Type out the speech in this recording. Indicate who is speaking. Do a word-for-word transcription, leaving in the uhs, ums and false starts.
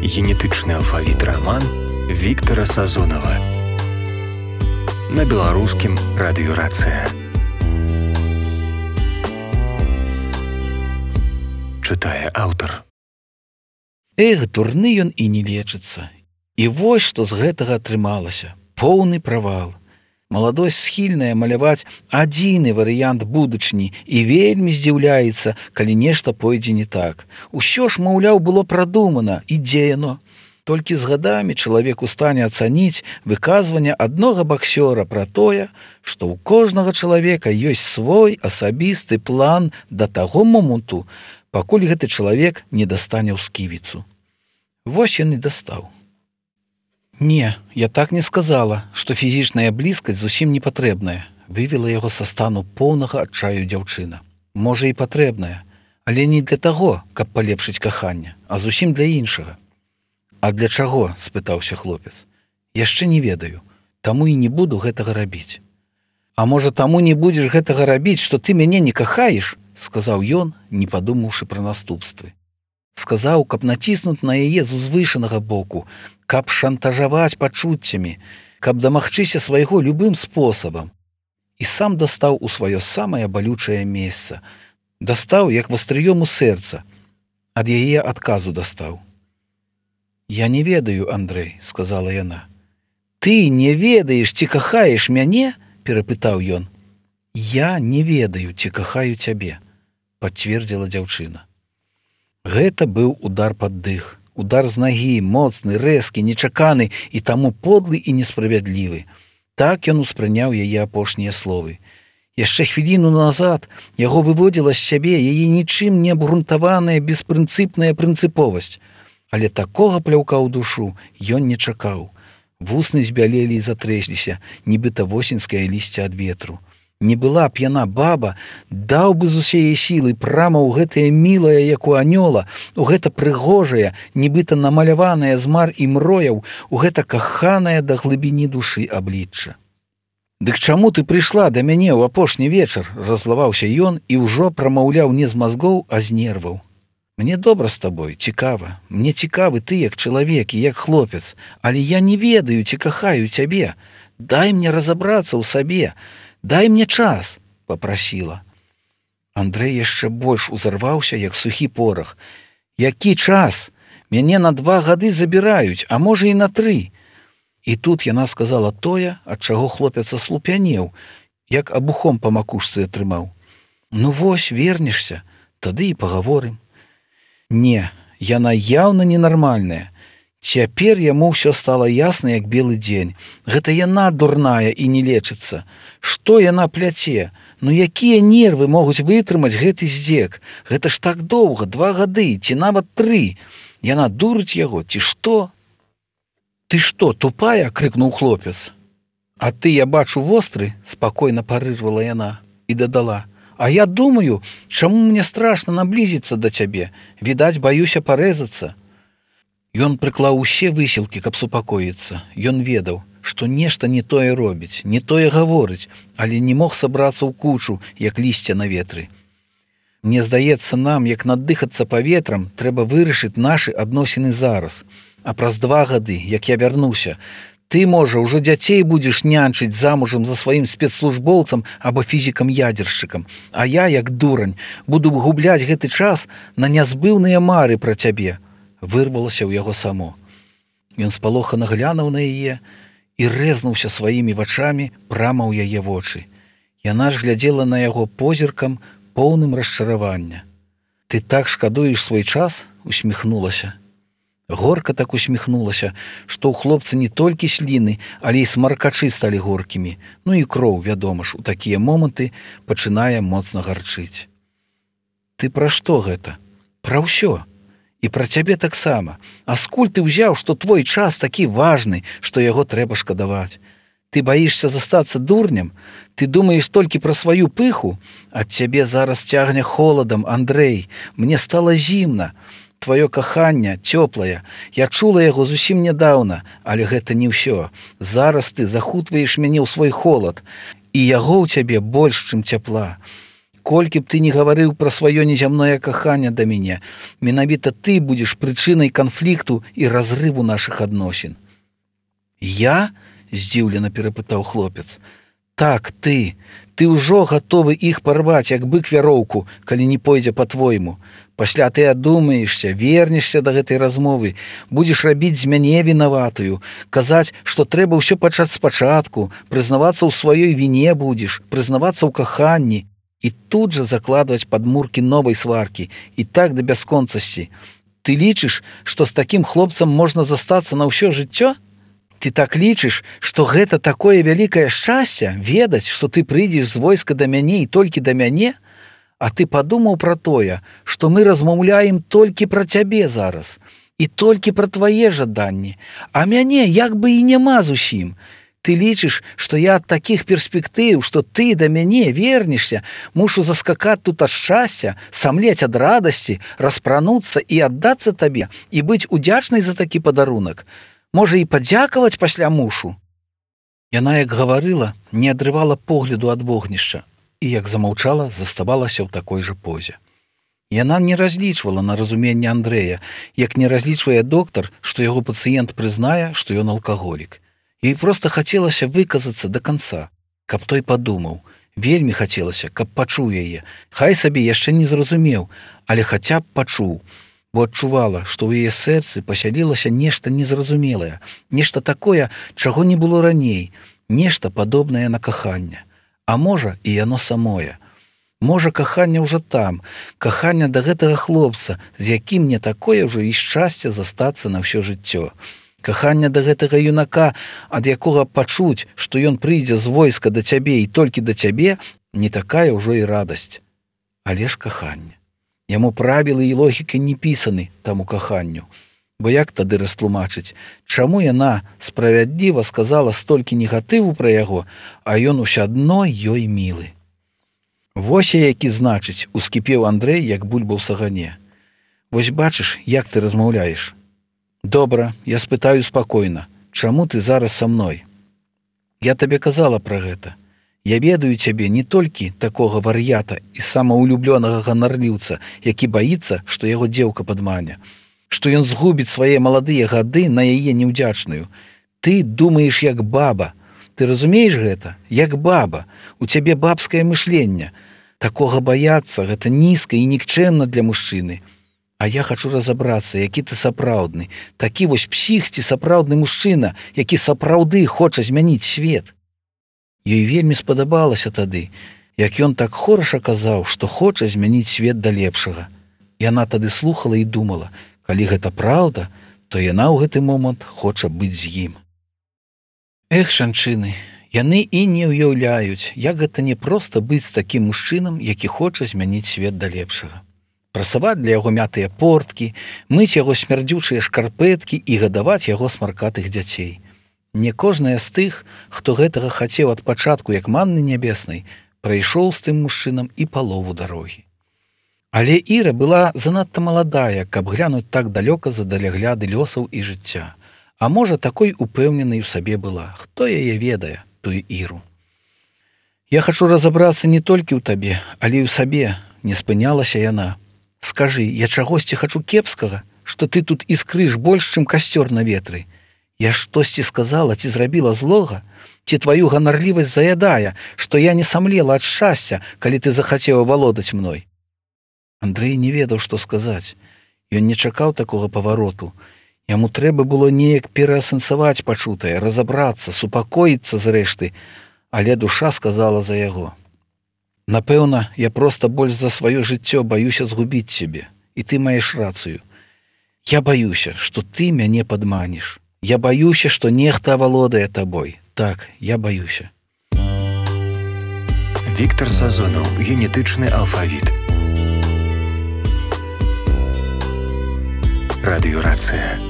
Speaker 1: Генетычны алфавіт раман Віктара Сазонава на беларускім радыёрацыя. Чытае аўтар.
Speaker 2: Эх, дурны ён і не лечыцца. І вось што з гэтага атрымалася. Поўны правал. Маладосць схільная маляваць адзіны варыянт будучыні і вельмі здзіўляецца, калі нешта пойдзе не так. Усё ж, маўляў, было прадумана, і дзе яно? Толькі з гадамі чалавек у стане ацаніць выказванне аднога баксёра пра тое, што ў кожнага чалавека ёсць свой асабісты план да таго моманту, пакуль гэты чалавек не дастане ў сківіцу. Вось ён і дастаў. Не, я так не сказала, што фізічная блізкасць зусім не патрэбная, вывела яго са стану поўнага адчаю дзяўчына. Можа, і патрэбная, але не для таго, каб палепшыць каханне, а зусім для іншага. А для чаго? Спытаўся хлопец. Яшчэ не ведаю, таму і не буду гэтага рабіць. А можа, таму не будзеш гэтага рабіць, што ты мяне не кахаеш? Сказаў ён, не падумаўшы пра наступствы. Сказаў, каб націснуць на яе з узвышанага боку, каб шантажаваць пачуццямі, каб дамагчыся свайго любым спосабам. І сам дастаў у сваё самае балючае месца. Дастаў, як вастрыём у сэрца. Ад яе адказу дастаў. «Я не ведаю, Андрэй», — сказала яна. «Ты не ведаеш, ці кахаеш мяне?» — перапытаў ён. «Я не ведаю, ці кахаю цябе», — пацвердзіла дзяўчына. Гэта быў удар пад дых. Удар з нагі, моцны, рэзкі, нечаканы і таму подлы і несправядлівы. Так ён успрыняў яе апошнія словы. Яшчэ хвіліну назад яго выводзіла з сябе яе нічым не абгрунтаваная беспрынцыпная прынцыповасць. Але такога пляўка ў душу ён не чакаў. Вусны збялелі і затрэсліся, нібыта восеньскае лісце ад ветру. Не была б яна баба, даў бы з усяе сілы прама ў гэтае мілае, як у анёла, у гэта прыгожае, нібыта намаляванае з мар і мрояў, у гэта каханае да глыбіні душы аблічча. «Дык чаму ты прыйшла да мяне ў апошні вечар?» — раззлаваўся ён і ўжо прамаўляў не з мазгоў, а з нерваў. «Мне добра з табой, цікава. Мне цікавы ты як чалавек і як хлопец, але я не ведаю, ці кахаю цябе. Дай мне разабрацца ў сабе. Дай мне час», — попрасіла. Андрэй яшчэ больш узарваўся, як сухі порах. «Які час? Мяне на два гады забіраюць, а можа і на тры». І тут яна сказала тое, ад чаго хлопец аслупянеў, як абухом па макушцы атрымаў. «Ну вось, вернешся, тады і пагаворым». Не, яна яўна ненармальная. Цяпер яму ўсё стала ясна, як белы дзень. Гэта яна дурная і не лечыцца. Што яна пляце? Ну якія нервы могуць вытрымаць гэты здзек? Гэта ж так доўга, два гады, ці нават тры. Яна дурыць яго, ці што? «Ты што, тупая?» — крыкнуў хлопец. «А ты, я бачу, востры?» — спакойна парырвала яна і дадала. «А я думаю, чаму мне страшна наблізіцца да цябе? Відаць, баюся парэзацца». Ён прыклаў усе высілкі, каб супакоіцца. Ён ведаў, што нешта не тое робіць, не тое гаворыць, але не мог сабрацца ў кучу, як лісце на ветры. «Мне здаецца, нам, як надыхацца паветрам, трэба вырашыць нашы адносіны зараз. А праз два гады, як я вярнуся, ты, можа, ужо дзяцей будзеш нянчыць замужам за сваім спецслужбоўцам або фізікам-ядзершчыкам, а я, як дурань, буду губляць гэты час на нязбыўныя мары пра цябе», — вырвалася ў яго само. Ён спалохана глянуў на яе і рэзнуўся сваімі вачамі прама ў яе вочы. Яна ж глядзела на яго позіркам, поўным расчаравання. «Ты так шкадуеш свой час?» — усміхнулася. Горка так усміхнулася, што ў хлопца не толькі сліны, але і смаркачы сталі горкімі. Ну і кроў, вядома ж, у такія моманты пачынае моцна гарчыць. «Ты пра што гэта?» «Пра ўсё. І пра цябе таксама. А скуль ты ўзяў, што твой час такі важны, што яго трэба шкадаваць? Ты баішся застацца дурнем? Ты думаеш толькі пра сваю пыху? Ад цябе зараз цягне холадам, Андрэй. Мне стала зімна. Тваё каханне цёплае. Я чула яго зусім нядаўна, але гэта не ўсё. Зараз ты захутваеш мяне ў свой холад, і яго ў цябе больш, чым цяпла. Колькі б ты не гаварыў пра сваё незямное каханне да мяне, менавіта ты будзеш прычынай канфлікту і разрыву нашых адносін. Я? Здзіўлена перапытаў хлопец. Так, ты. Ты ўжо гатовы іх парваць, як бык вяроўку, калі не пойдзе па-твойму. Пасля ты адумаешся, вернешся да гэтай размовы, будзеш рабіць з мяне вінаватую, казаць, што трэба ўсё пачаць спачатку, прызнавацца ў сваёй віне будзеш, прызнавацца ў каханні і тут жа закладваць падмуркі новай сваркі і так да бясконцасці. Ты лічыш, што з такім хлопцам можна застацца на ўсё жыццё? Ты так лічыш, што гэта такое вялікае шчасце, ведаць, што ты прыйдзеш з войска да мяне і толькі да мяне? А ты падумаў пра тое, што мы размаўляем толькі пра цябе зараз і толькі пра твае жаданні, а мяне як бы і няма зусім. Ты лічыш, што я ад такіх перспектыў, што ты да мяне вернешся, мушу заскакаць тут ад шчасця, самлець ад радасці, распрануцца і аддацца табе і быць удзячнай за такі падарунак. Можа, і падзякаваць пасля мушу? Яна, як гаварыла, не адрывала погляду ад вогнішча і, як замаўчала, заставалася ў такой жа позе. Яна не разлічвала на разуменне Андрэя, як не разлічвае доктар, што яго пацыент прызнае, што ён алкаголік. Ёй проста хацелася выказацца да канца, каб той падумаў. Вельмі хацелася, каб пачуў яе. Хай сабе яшчэ не зразумеў, але хаця б пачуў. Бо адчувала, што ў яе сэрцы пасялілася нешта незразумелае, нешта такое, чаго не было раней, нешта падобнае на каханне. А можа, і яно самое. Можа, каханне ўжо там, каханне да гэтага хлопца, з якім не такое ўжо і шчасце застацца на ўсё жыццё. Каханне да гэтага юнака, ад якога пачуць, што ён прыйдзе з войска да цябе і толькі да цябе, не такая ўжо і радасць. Але ж каханне. Яму правілы і логіка не пісаны таму каханню. Бо як тады растлумачыць, чаму яна справядліва сказала столькі негатыву пра яго, а ён усё адно ёй мілы. Вось я які значыць, ускіпеў Андрэй, як бульба ў сагане. Вось бачыш, як ты размаўляеш. Добра, я спытаю спакойна, чаму ты зараз са мной? Я табе казала пра гэта. Я ведаю цябе не толькі такога вар'ята і самаўлюблёнага ганарліўца, які баіцца, што яго дзеўка падмане, што ён згубіць свае маладыя гады на яе неўдзячную. Ты думаеш як баба. Ты разумееш гэта? Як баба. У цябе бабскае мышленне. Такога баяцца, гэта нізка і нікчэмна для мужчыны. А я хачу разабрацца, які ты сапраўдны. Такі вось псіх ці сапраўдны мужчына, які сапраўды хоча змяніць свет. Ёй вельмі спадабалася тады, як ён так хораша казаў, што хоча змяніць свет да лепшага. Яна тады слухала і думала, калі гэта праўда, то яна ў гэты момант хоча быць з ім. Эх, жанчыны, яны і не ўяўляюць, як гэта не проста быць з такім мужчынам, які хоча змяніць свет да лепшага. Прасаваць для яго мятыя порткі, мыць яго смярдзючыя шкарпэткі і гадаваць яго смаркатых дзяцей. Не кожная з тых, хто гэтага хацеў ад пачатку як манны нябеснай, прайшоў з тым мужчынам і палову дарогі. Але Іра была занадта маладая, каб глянуць так далёка за далягляды лёсаў і жыцця. А можа, такой упэўненай у сабе была. Хто яе ведае, тую Іру? Я хачу разабрацца не толькі ў табе, але і ў сабе, не спынялася яна. Скажы, я чагосьці хачу кепскага, што ты тут іскрыш больш, чым касцёр на ветры. Я штосьці сказала ці зрабіла злога, ці тваю ганарлівасць заядае, што я не самлела ад шчасця, калі ты захацеў валодаць мной. Андрэй не ведаў, што сказаць. Ён не чакаў такога павароту. Яму трэба было неяк пераасэнсаваць пачутае, разабрацца, супакоіцца зрэшты, але душа сказала за яго. Напэўна, я проста больш за сваё жыццё баюся згубіць цябе, і ты маеш рацыю. Я баюся, што ты мяне падманеш. Я баюся, што нехта авалодае табой. Так, я баюся.
Speaker 1: Віктар Сазонаў, генетычны алфавіт. Радыёрацыя.